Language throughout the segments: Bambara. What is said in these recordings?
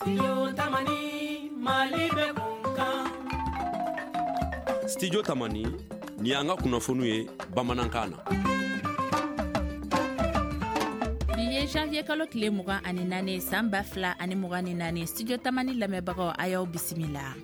Studio Tamani, Mali bɛ kun kan. Studio Tamani, nin y'an ka kunnafoniw ye bamanankan na. Bi ye janvier kalo tile 24, san 2024. Studio Tamani lamɛnbagaw, a y'aw bisimila.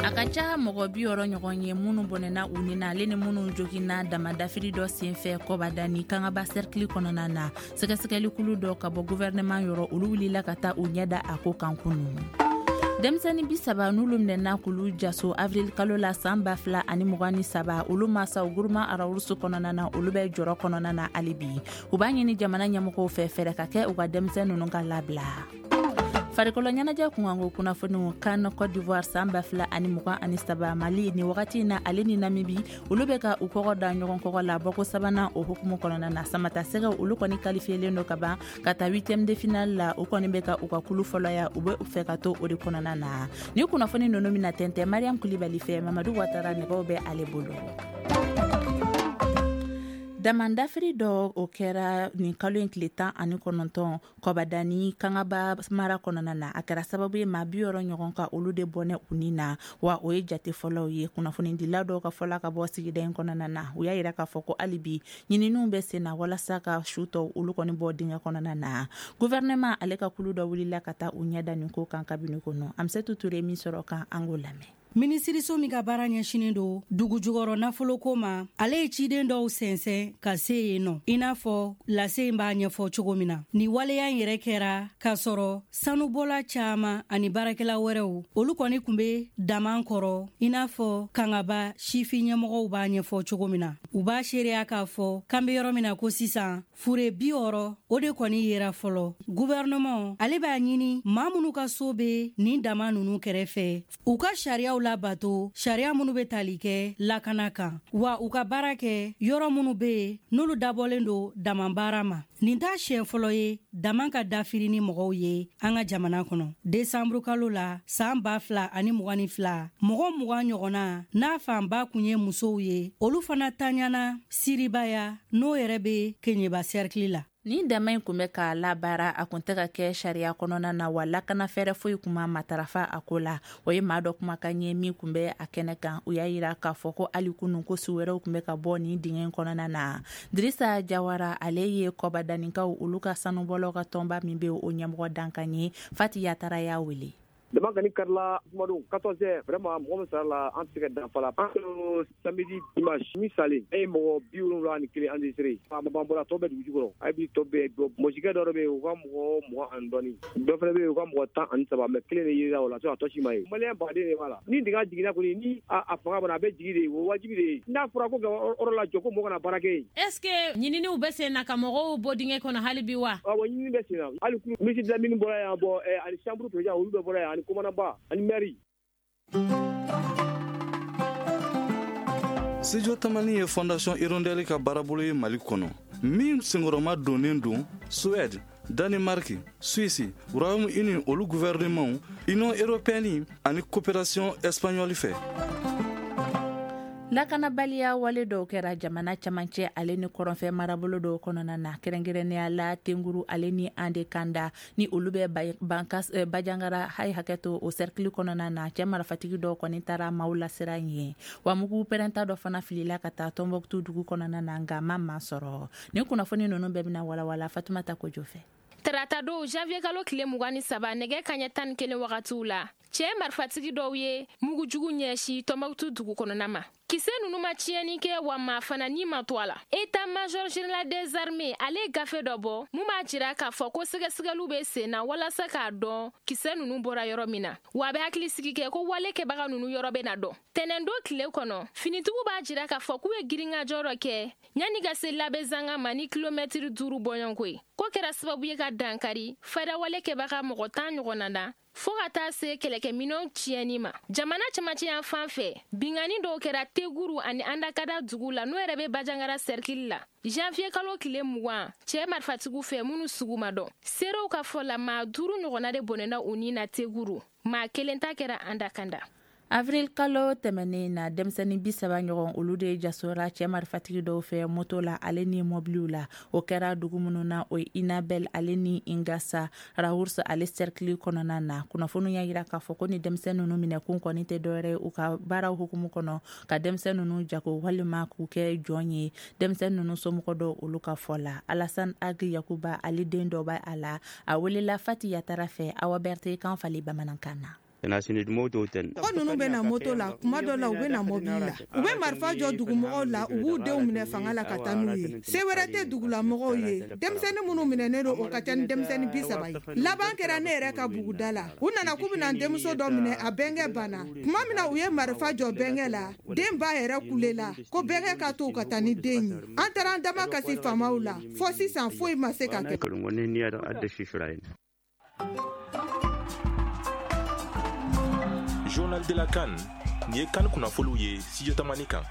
A ka ca mɔgɔ 60 ɲɔgɔn ye minnu bɔnɛna u ni na, ale ni minnu joginna damadafiri dɔ senfɛ Kɔbadani Kangaba sɛrikili kɔnɔna na. Sɛgɛsɛgɛlikulu dɔ ka bɔ guvɛrɛnɛman yɔrɔ, olu wulila ka taa u ɲɛ da a ko kan kunu. Denmisɛnnin 30 n'olu minɛna k'olu jaso avril kalo la san 2023, olu masaw groupement Arawurusu kɔnɔna na, olu bɛ jɔrɔ kɔnɔna na hali bi. U b'a ɲini jamana ɲɛmɔgɔw fɛ, fɛɛrɛ ka kɛ u ka denmisɛn ninnu ka labila. Farikolo ɲɛnajɛ kunkanko kunnafoniw, CAN Côte d'Ivoire san 2023, Mali ni wagati in na, ale ni Namibi, olu bɛ ka u kɔgɔ da ɲɔgɔn kɔgɔ la bɔko sabanan o hukumu kɔnɔna na. Samata sɛgɛw, olu kɔni kalifiyelen don ka ban ka taa huitième de finale la. U kɔni bɛ ka u ka kulu fɔlɔya, u bɛ fɛ ka to o de kɔnɔna na. Ni kunnafoni ninnu bɛna tɛntɛn Mariam Kulibali fɛ. Mamadu Watara nɛgɛw bɛ ale bolo. Damandafiri dɔ, o kɛra nin kalo in tile 19 Kɔbadani Kangaba mara kɔnɔna na. A kɛra sababu ye maa 60 ɲɔgɔn ka olu de bɔnɛ u ni na, wa o ye jate fɔlɔw ye. Kunnafonidila dɔw ka fɔla ka bɔ sigida in kɔnɔna na, u y'a yira k'a fɔ ko hali bi ɲininiw bɛ sen na walasa ka su tɔw olu kɔni bɔ dingɛ kɔnɔna na. Gouvernement ale ka kulu dɔ wulila ka taa u ɲɛ da nin ko kan kabini kɔnɔ. Amisetu Ture min sɔrɔ kan, an k'o lamɛn. Minisiriso min ka baara ɲɛsinen don dugu jukɔrɔ nafoloko ma, ale ye ciden dɔw sɛnsɛn ka se yen nɔ, i n'a fɔ lase in b'a ɲɛfɔ cogo min na. Ni waleya in yɛrɛ kɛra k'a sɔrɔ sanubɔla caman ani baarakɛla wɛrɛw, olu kɔni tun bɛ daman kɔrɔ, i n'a fɔ Kangaba sifin ɲɛmɔgɔw b'a ɲɛfɔ cogo min na. U b'a seereya k'a fɔ k'an bɛ yɔrɔ min na ko sisan, fure 60, o de kɔni yera fɔlɔ. Guvɛrɛnɛman ale b'a ɲini maa minnu ka so bɛ nin dama ninnu kɛrɛfɛ, u ka sariyaw labato, sariya minnu bɛ tali kɛ lakana kan, wa u ka baara kɛ yɔrɔ minnu bɛ yen n'olu dabɔlen don dama baara ma. Nin t'a siɲɛ fɔlɔ ye dama ka dafiri ni mɔgɔw ye an ka jamana kɔnɔ. Desanburu kalo la san 2022, mɔgɔ 20 ɲɔgɔnna, n'a fanba kun ye musow ye, olu fana taɲana Siribaya, n'o yɛrɛ bɛ Keɲeba sɛrikili la. Nin dama in kun bɛ ka labaara, a kun tɛ ka kɛ sariya kɔnɔna na, wa lakana fɛɛrɛ foyi kun ma matarafa a ko la. O ye maa dɔ kumakan ye min kun bɛ a kɛnɛ kan. U y'a yira k'a fɔ ko hali kunun ko su wɛrɛw kun bɛ ka bɔ nin dingɛ in kɔnɔna na. Dirisa Jawara, ale ye Kɔbadanikaw olu ka sanubɔlaw ka tɔnba min bɛ, o ɲɛmɔgɔ dankan ye. Fati Yatara y'a wele. Dama kɔni karila jumadon 14 heures. Vraiment, mɔgɔ min sara la, an tɛ se ka dan la. An samedi, dimanche min salen, e ye mɔgɔ 71 enregistré. A ma ban bɔra, tɔ bɛ dugu jukɔrɔ. A bi tɔ bɛɛ bɔ. Mɔsikɛ dɔ bɛ yen, u ka mɔgɔ 20 ani dɔɔni. Dɔ fana bɛ yen, u ka mɔgɔ 13, mais kelen de yera o la, a tɔ si ma ye. Maliyɛn baden de b'a la. Ni dingɛ jiginna kɔni, ni a fanga bana, a bɛ jigin de, o wajibi de ye. N'a fɔra ko ka yɔrɔ lajɔ ko mɔgɔ kana baara kɛ yen. Est ce que ɲininiw bɛ sen na ka mɔgɔw bɔ dingɛ kɔnɔ hali bi wa? Awɔ, ɲinini bɛ sen na. Hali ministre de la mine bɔra yan, bɔ ani chambre président, olu bɛɛ bɔra yan, ani commandant ba ani maire. Studio Tamani ye Fondation Hirondelle ka baarabolo ye Mali kɔnɔ, min senkɔrɔma donnen don Suède, Danemark, Suisse, Royaume-Uni, olu gouvernement, Union européenne ani coopération espagnole fɛ. Lakanabaliya wale dɔw kɛra jamana camancɛ ale ni kɔrɔnfɛ marabolo dɔw kɔnɔna na, kɛrɛnkɛrɛnnenya la Tenguru ale ni Andekanda, ni olu bɛ Bankas Bajangara hayi hakɛto o sɛrikili kɔnɔna na. Cɛ marifatigi dɔw kɔni taara maaw lasiran yen, wa mugu pɛrɛnta dɔ fana filila ka taa Tɔnbɔkutu dugu kɔnɔna na, nka ma maa sɔrɔ. Nin kunnafoni ninnu bɛɛ bɛna walawala Fatumata Kojo fɛ. Tarata don janvier kalo tile 23, nɛgɛ kaɲɛ 11 wagatiw la, cɛɛ marifatigi dɔw ye mugujugu ɲɛsi Tɔnbɔkutu dugu kɔnɔna ma. Kisɛ nunu ma tiɲɛni kɛ, wa maa fana ni ma to a la. État major général des armées ale ye gafe dɔ bɔ mun b'a jira k'a fɔ ko sɛgɛsɛgɛliw bɛ sen na walasa k'a dɔn kisɛ nunu bɔra yɔrɔ min na, wa a bɛ hakili sigi kɛ ko wale kɛbaga nunu yɔrɔ bɛ na dɔn. Tɛnɛndon tile kɔnɔ, finitigiw b'a jira k'a fɔ k'u ye girinkajɔ dɔ kɛ yanni ka se Labezanga ma ni kilomɛtiri 5 bɔɲɔgɔnko ye. Ko kɛra sababu ye ka dankari fadawale kɛbaga mɔgɔ 10 ɲɔgɔnna na, fɔɔ ka taa se kɛlɛkɛminɛnw tiɲɛni ma. Jamana camancɛ yan fan fɛ, binkanni dɔw kɛra Teguru ani Andakada dugu la, n'o yɛrɛ bɛ Bajangara sɛrikili la, janvier kalo tile 20, cɛɛ marifatigiw fɛ minnu sugu ma dɔn. Seerew ka fɔ la, maa 5 ɲɔgɔnna de bɔnɛna u ni na Teguru, maa kelen ta kɛra Andakanda. Avril kalo tɛmɛnen na, denmisɛnnin 30 ɲɔgɔn, olu de jasora cɛ marifatigi dɔw fɛ moto la ale ni mɔbiliw la. O kɛra dugu minnu na, o ye Inabel ale ni Ingasa Rharous ale cercle kɔnɔna na. Kunnafoniw y'a yira k'a fɔ ko ni denmisɛn ninnu minɛkun kɔni tɛ dɔwɛrɛ ye u ka baaraw hukumu kɔnɔ, ka denmisɛn ninnu jago walima k'u kɛ jɔn ye. Denmisɛn ninnu somɔgɔ dɔw, olu ka fɔ la, Alassane Ag Yakuba, ale den dɔ b'a a la. A welela Fati Yatara fɛ, Awa Berete kan falen bamanankan na. Mɔgɔ ninnu bɛ na moto la, kuma dɔ la u bɛ na mobili la. U bɛ marifa jɔ dugumɔgɔw la, u b'u denw minɛ fanga la ka taa n'u ye. Se wɛrɛ tɛ dugulamɔgɔw ye. Denmisɛnnin minnu minɛnen don, o ka ca ni denmisɛnnin 30 ye. Laban kɛra ne yɛrɛ ka buguda la. U nana k'u bɛna n denmuso dɔ minɛ, a bɛnkɛ banna. Tuma min na u ye marifa jɔ bɛnkɛ la, den ba yɛrɛ kulela ko bɛnkɛ ka to u ka taa ni den ye. An taara an dama kasi faamaw la, fɔ sisan foyi ma se ka kɛ. Journal de la CAN, nin ye CAN kunnafoniw ye Studio Tamani kan.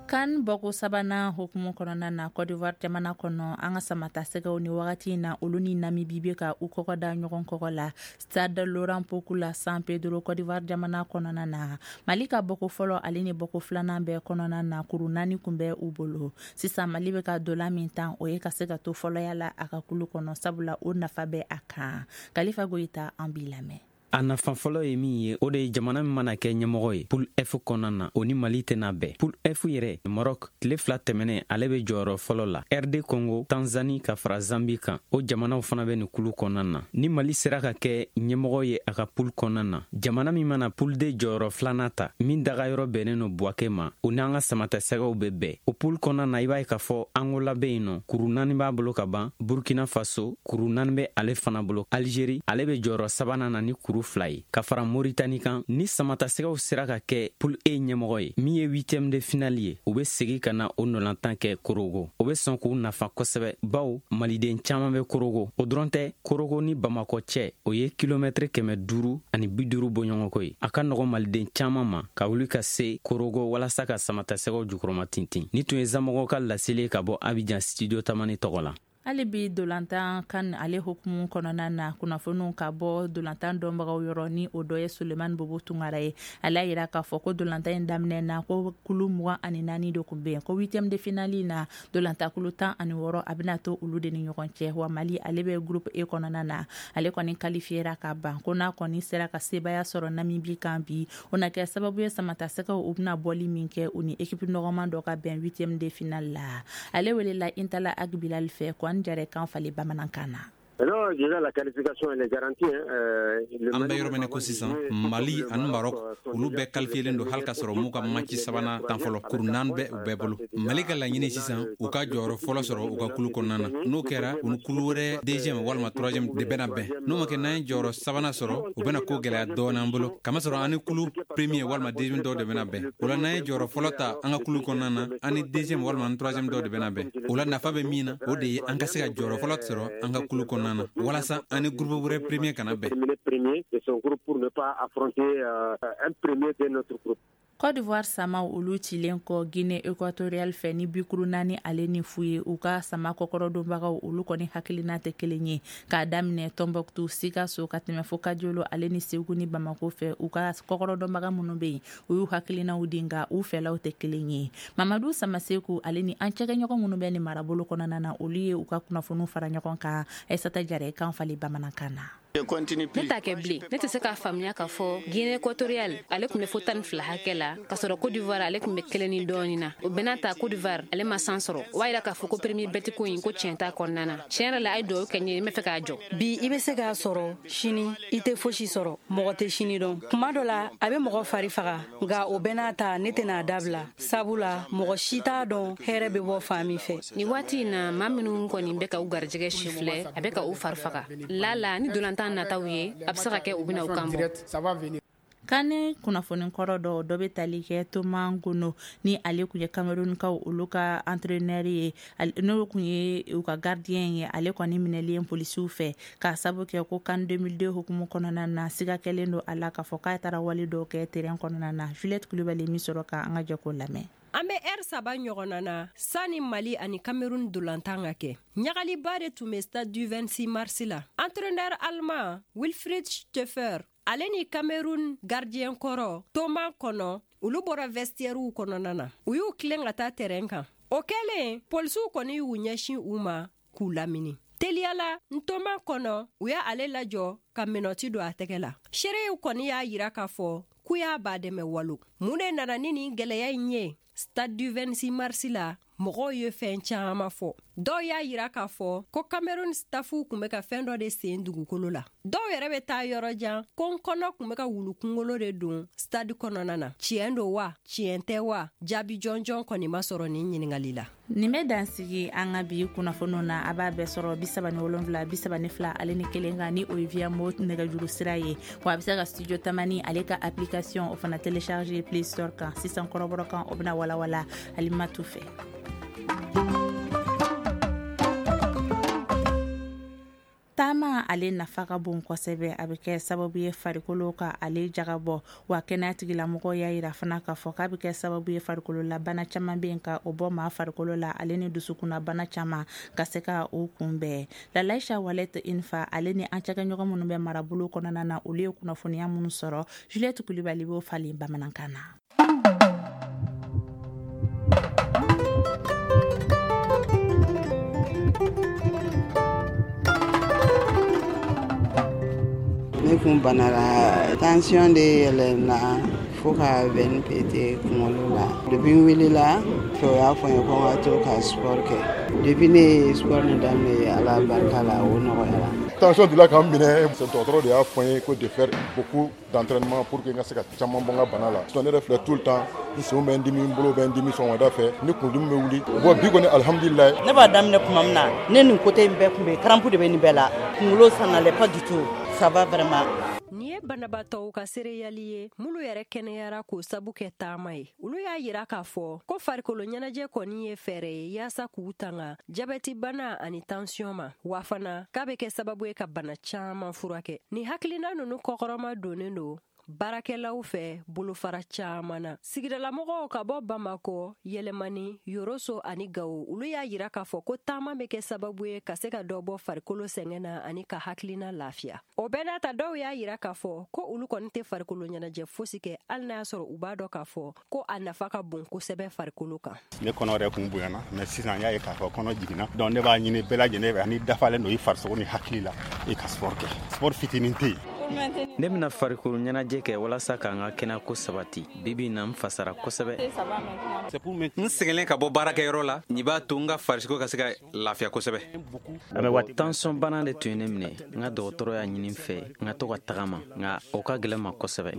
CAN bɔko sabanan hukumu kɔnɔna na, Côte d'Ivoire jamana kɔnɔ, an ka samata sɛgɛw ni wagati in na, olu ni Namibi bɛ ka u kɔgɔ da ɲɔgɔn kɔgɔ la Stade Laurent Pokou la, San Pedro, Côte d'Ivoire jamana kɔnɔna na. Mali ka bɔko fɔlɔ ale ni bɔko filanan bɛɛ kɔnɔna na, kuru 4 kun bɛ u bolo. Sisan Mali bɛ ka dolan min tan, o ye ka se ka to fɔlɔya la a ka kulu kɔnɔ, sabula o nafa bɛ a kan. Kalifa Goyita, an b'i lamɛn. A nafa fɔlɔ ye min ye, o de ye jamana min mana kɛ ɲɛmɔgɔ ye poule F kɔnɔna na, o ni Mali tɛna bɛn. Poule F yɛrɛ, Maroc, tile 2 tɛmɛnen, ale bɛ jɔyɔrɔ fɔlɔ la. RD Congo, Tanzanie ka fara Zambie kan, o jamanaw fana bɛ nin kulu kɔnɔna na. Ni Mali sera ka kɛ ɲɛmɔgɔ ye a ka poule kɔnɔna na, jamana min mana poule D jɔyɔrɔ filanan ta, min dagayɔrɔ bɛnnen no Buwake ma, o n'an ka samatasɛgɛw bɛ bɛn o poule kɔnɔna na. I b'a ye k'a fɔ Angola bɛ yen nɔ, kuru 4 b'a bolo ka ban. Burkina Faso, kuru 4 bɛ ale fana bolo. Algérie, ale bɛ jɔyɔrɔ sabanan na ni kuru 2 ye, ka fara Moritani kan. Ni samatasɛgɛw sera ka kɛ poule E ɲɛmɔgɔ ye, min ye huitième de finale ye, u bɛ segin ka na o nɔlantan kɛ Korogo. O bɛ sɔn k'u nafa kosɛbɛ, bawo maliden caman bɛ Korogo. O dɔrɔn tɛ, Korogo ni Bamakɔ cɛ, o ye kilomɛtiri 550 bɔɲɔgɔnko ye. A ka nɔgɔ maliden caman ma ka wuli ka se Korogo walasa ka samatasɛgɛw jukɔrɔma tintin. Ni tun ye Zamɔgɔw ka laseli ka bɔ Abidjan, Studio Tamani tɔgɔ la. Hali bi dolantan CAN ale hukumu kɔnɔna na, kunnafoniw ka bɔ dolantan dɔnbagaw yɔrɔ, ni o dɔ ye Sulemani Bobo Tunkara ye. Ale y'a yira k'a fɔ ko dolantan in daminɛ na, ko kulu 24 de kun bɛ yen, ko huitième de finale na, dolantan kulu 16, a bɛna to olu de ni ɲɔgɔn cɛ. Wa Mali, ale bɛ groupe E kɔnɔna na, ale kɔni qualifiera ka ban. Ko n'a kɔni sera ka sebaya sɔrɔ Namibi kan bi, o na kɛ sababu ye samatasɛgɛw, u bɛna bɔli min kɛ, u ni équipe nɔgɔman dɔ ka bɛn huitième de finale la. Ale welela Intala Agbilal fɛ ko an jɛrɛ kan falen bamanankan na. An bɛ yɔrɔ min ko sisan, Mali ani Maroc, olu bɛɛ qualifiélen don, hali ka sɔrɔ m'u ka match sabanan tan fɔlɔ. Kuru 4 bɛ u bɛɛ bolo. Mali ka laɲini sisan, u ka jɔyɔrɔ fɔlɔ sɔrɔ u ka kulu kɔnɔna na. N'o kɛra, u ni kulu wɛrɛ deuxième walima troisième de bɛna bɛn. N'o ma kɛ, n'an ye jɔyɔrɔ sabanan sɔrɔ, u bɛna ko gɛlɛya dɔɔni an bolo, kamasɔrɔ an ni kulu premier walima deuxième dɔw de bɛna bɛn. O la, n'an ye jɔyɔrɔ fɔlɔ ta an ka kulu kɔnɔna na, an ni deuxième walima ni troisième dɔw de bɛna bɛn. O la, nafa bɛ min na, o de ye an ka se ka jɔyɔrɔ fɔlɔ sɔrɔ an ka kulu kɔnɔna na, walasa an ni groupe wɛrɛ premier kana bɛn. Côte d'Ivoire samaw, olu cilen kɔ Guinée équatoriale fɛ ni bikuru 4 ani 0 ye, u ka sama kɔkɔrɔdonbagaw, olu kɔni hakilina tɛ kelen ye. K'a daminɛ Tɔnbɔkutu, Sikaso, ka tɛmɛ fo Kajolo ale ni Segu ni Bamako fɛ, u ka kɔkɔrɔdɔnbaga minnu bɛ yen, u y'u hakilinaw di, nka u fɛlaw tɛ kelen ye. Mamadu Samaseku ale ni an cɛkɛɲɔgɔn minnu bɛ nin marabolo kɔnɔna na, olu ye u ka kunnafoniw fara ɲɔgɔn kan. Aissata Jara kan falen bamanankan na. Ne t'a kɛ bilen. Ne tɛ se k'a faamuya k'a fɔ Guinée équatoriale, ale tun bɛ fo 12 hakɛ la, k'a sɔrɔ Côte d'Ivoire, ale tun bɛ kelen ni dɔɔni na. O bɛɛ n'a ta, Côte d'Ivoire, ale ma san sɔrɔ. O b'a yira k'a fɔ ko premier bɛti ko in, ko tiɲɛ t'a kɔnɔna na. Tiɲɛ yɛrɛ la, a ye dugawu kɛ n ye, n bɛ fɛ k'a jɔ. Bi i bɛ se k'a sɔrɔ, sini i tɛ fosi sɔrɔ. Mɔgɔ tɛ sini dɔn. Kuma dɔ la, a bɛ mɔgɔ fari faga, nka o bɛɛ n'a ta, ne tɛna a dabila, sabula mɔgɔ si t'a dɔn hɛrɛ bɛ bɔ fan min fɛ. Nin waati in na, maa minnu kɔni bɛ ka u garijɛgɛ sifilɛ, a bɛ ka u fari faga. Lala ni dolantan nataw ye, a bɛ se ka kɛ u bɛna u kan bɔ. CAN kunnafoni kɔrɔ dɔ dɔ bɛ tali kɛ Thomas Gono, ni ale tun ye Camerounkaw olu ka entraîneur ye, n'o tun ye u ka gardien ye. Ale kɔni minɛlen polisiw fɛ k'a sabu kɛ ko CAN 2002 hukumu kɔnɔna na, siga kɛlen don a la k'a fɔ k'a taara wale dɔw kɛ terrain kɔnɔna na. Juliette Kulibali min sɔrɔ ka an ka jɛ k'o lamɛn. An bɛ ɛri 3 ɲɔgɔnna na sani Mali ani Cameroun dolantan ka kɛ. Ɲagaliba de tun bɛ Stade du 26 mars la. Entraîneur allemand Wilfried Schaefer. Ale ni Cameroun gardien kɔrɔ Thomas Kɔnɔ, olu bɔra vestiairew kɔnɔna na, u y'u tilen ka taa terrain kan. O kɛlen, polisiw kɔni y'u ɲɛsin u ma k'u lamini. Teliyala, Ntoma Kɔnɔ, u y'ale lajɔ ka menottes don a tɛgɛ la. Seerew kɔni y'a yira k'a fɔ k'u y'a ba dɛmɛ walo. Mun de nana ni nin gɛlɛya in ye? Stade du 26 mars la, mɔgɔw ye fɛn caman fɔ. Dɔw y'a yira k'a fɔ ko Cameroun staffu tun bɛ ka fɛn dɔ de sen dugukolo la. Dɔw yɛrɛ bɛ taa yɔrɔ jan ko n kɔnɔ tun bɛ ka wulu kunkolo de don stade kɔnɔna na. Tiɲɛ don wa, tiɲɛ tɛ wa? Jaabi jɔnjɔn kɔni ma sɔrɔ nin ɲininkali la. Nin bɛ dansigi an ka bi kunnafoniw na. A b'a bɛɛ sɔrɔ 37 32 ale ni 1 kan, ni o ye Via Mo nɛgɛjuru sira ye. Wa a bɛ se ka Studio Tamani ale ka application o fana télécharger Play Store kan. Sisan kɔrɔbɔrɔ kan, o bɛna walawala Alimatu fɛ. Taama ale nafa ka bon kosɛbɛ. A bɛ kɛ sababu ye farikolo ka ale jagabɔ, wa kɛnɛya tigilamɔgɔw y'a yira fana k'a fɔ k'a bɛ kɛ sababu ye farikolo la bana caman bɛ yen ka o bɔ maa farikolo la, ale ni dusukunna bana caman ka se ka o kunbɛn. Lalaisa Walet Infa ale ni an cakɛɲɔgɔn minnu bɛ marabolo kɔnɔna na, olu ye kunnafoniya minnu sɔrɔ, Juliette Kulibali b'o falen bamanankan na. Ne kun banara, tension de yɛlɛnna fo ka veine péter kunkolo la. Depuis n wulila, o y'a fɔ n ye ko n ka to ka sport kɛ. Depuis ne ye sport nin daminɛ, Ala barika la, o nɔgɔyara. Tension delila ka n minɛ, dɔgɔtɔrɔ de y'a fɔ n ye ko de faire beaucoup d'entraînement pour que n ka se ka caman bɔ n ka bana la. Sinon ne yɛrɛ filɛ, tout le temps n senw bɛ n dimi, n bolo bɛ n dimi sɔgɔmada fɛ, ni kunudimi bɛ wuli. Bon, bi kɔni, alihamudulilayi. Ne b'a daminɛ tuma min na, ne nin côté in bɛɛ tun bɛ crampe de bɛ nin bɛɛ la. Kunkolo, ça n'allait pas du tout, ça va vraiment. Nin ye banabaatɔw ka seereyali ye, minnu yɛrɛ kɛnɛyara k'o sabu kɛ taama ye. Olu y'a yira k'a fɔ ko farikolo ɲɛnajɛ kɔni ye fɛɛrɛ ye yaasa k'u tanga jabɛti bana ani tansiyɔn ma, wa fana k'a bɛ kɛ sababu ye ka bana caman furakɛ. Nin hakilina ninnu kɔkɔrɔma donnen don baarakɛlaw fɛ bolofara caman na. Sigidalamɔgɔw ka bɔ Bamakɔ, Yɛlɛmani, Yoroso ani Gawo, olu y'a yira k'a fɔ ko taama bɛ kɛ sababu ye ka se ka dɔ bɔ farikolo sɛgɛn na ani ka hakilina lafiya. O bɛɛ n'a ta, dɔw y'a yira k'a fɔ ko olu kɔni tɛ farikolo ɲɛnajɛ fosi kɛ, hali n'a y'a sɔrɔ u b'a dɔn k'a fɔ ko a nafa ka bon kosɛbɛ farikolo kan. Ne kɔnɔ yɛrɛ kun bonyana, mais sisan n y'a ye k'a fɔ kɔnɔ jiginna. Donc ne b'a ɲini bɛɛ lajɛlen fɛ, ni dafalen don i farisogo ni hakili la, i ka sport kɛ. Sport fitinin tɛ yen. Ne bɛna farikolo ɲɛnajɛ kɛ walasa k'an ka kɛnɛyako sabati. Bibi na, n fasara kosɛbɛ. N sɛgɛnlen ka bɔ baarakɛyɔrɔ la, nin b'a to n ka farisogo ka se ka lafiya kosɛbɛ. Tansɔn bana de tun ye ne minɛ. N ka dɔgɔtɔrɔ y'a ɲini n fɛ n ka to ka tagama, nka o ka gɛlɛn ma kosɛbɛ.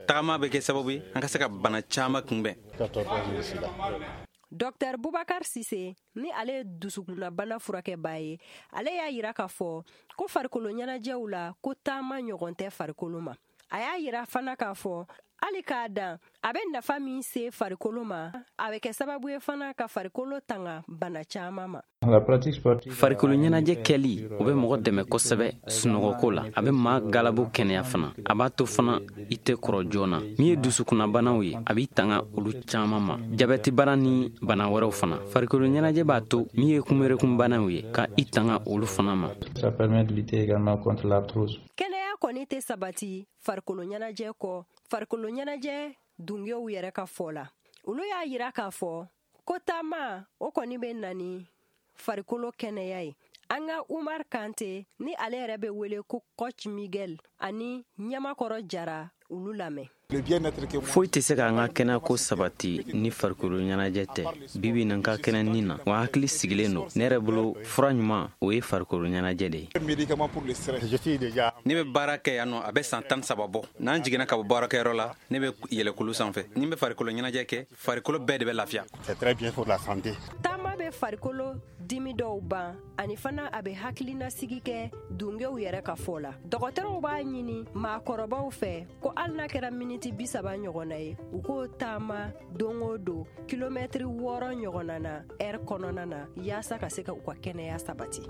Tagama bɛ kɛ sababu ye an ka se ka bana caman kunbɛn. Dr Bubakar Sise, ni ale ye dusukunnabana furakɛbaa ye, ale y'a yira k'a fɔ ko farikolo ɲɛnajɛw la, ko taama ɲɔgɔn tɛ farikolo ma. A y'a yira fana k'a fɔ hali k'a dan a bɛ nafa min se farikolo ma, a bɛ kɛ sababu ye fana ka farikolo tanga bana caman ma. Farikolo ɲɛnajɛ kɛli, o bɛ mɔgɔ dɛmɛ kosɛbɛ sunɔgɔko la. A bɛ maa galabu kɛnɛya fana. A b'a to fana i tɛ kɔrɔ joona. Min ye dusukunnabanaw ye, a b'i tanga olu caman ma, jabɛtibana ni bana wɛrɛw fana. Farikolo ɲɛnajɛ b'a to min ye kunberekunbanaw ye, ka i tanga olu fana ma. Kɛnɛya kɔni tɛ sabati farikolo ɲɛnajɛ kɔ. Farikolo ɲɛnajɛ dungew yɛrɛ ka fɔ la, olu y'a yira k'a fɔ ko taama o kɔni bɛ na ni farikolo kɛnɛya ye. An ka Umar Kante, ni ale yɛrɛ bɛ wele ko Coach Miguel, ani Ɲamakɔrɔ Jara, olu lamɛn. Foyi tɛ se k'an ka kɛnɛyako sabati ni farikolo ɲɛnajɛ tɛ. Bibi na, n ka kɛnɛ nin na, wa hakili sigilen don. Ne yɛrɛ bolo, fura ɲuman, o ye farikolo ɲɛnajɛ de ye. Ne bɛ baara kɛ yan nɔ, a bɛ san 13 bɔ. N'an jiginna ka bɔ baarakɛyɔrɔ la, ne bɛ yɛlɛkulu sanfɛ. Ni n bɛ farikolo ɲɛnajɛ kɛ, farikolo bɛɛ de bɛ lafiya. Taama bɛ farikolo dimi dɔw ban, ani fana a bɛ hakilinasigi kɛ, dungew yɛrɛ ka fɔ la. Dɔgɔtɔrɔw b'a ɲini maakɔrɔbaw fɛ ko hali n'a kɛra miniti 30 ɲɔgɔnna ye, u k'o taama don o don, kilomɛtiri 6 ɲɔgɔnna na ɛri kɔnɔna na, yaasa ka se ka u ka kɛnɛya sabati.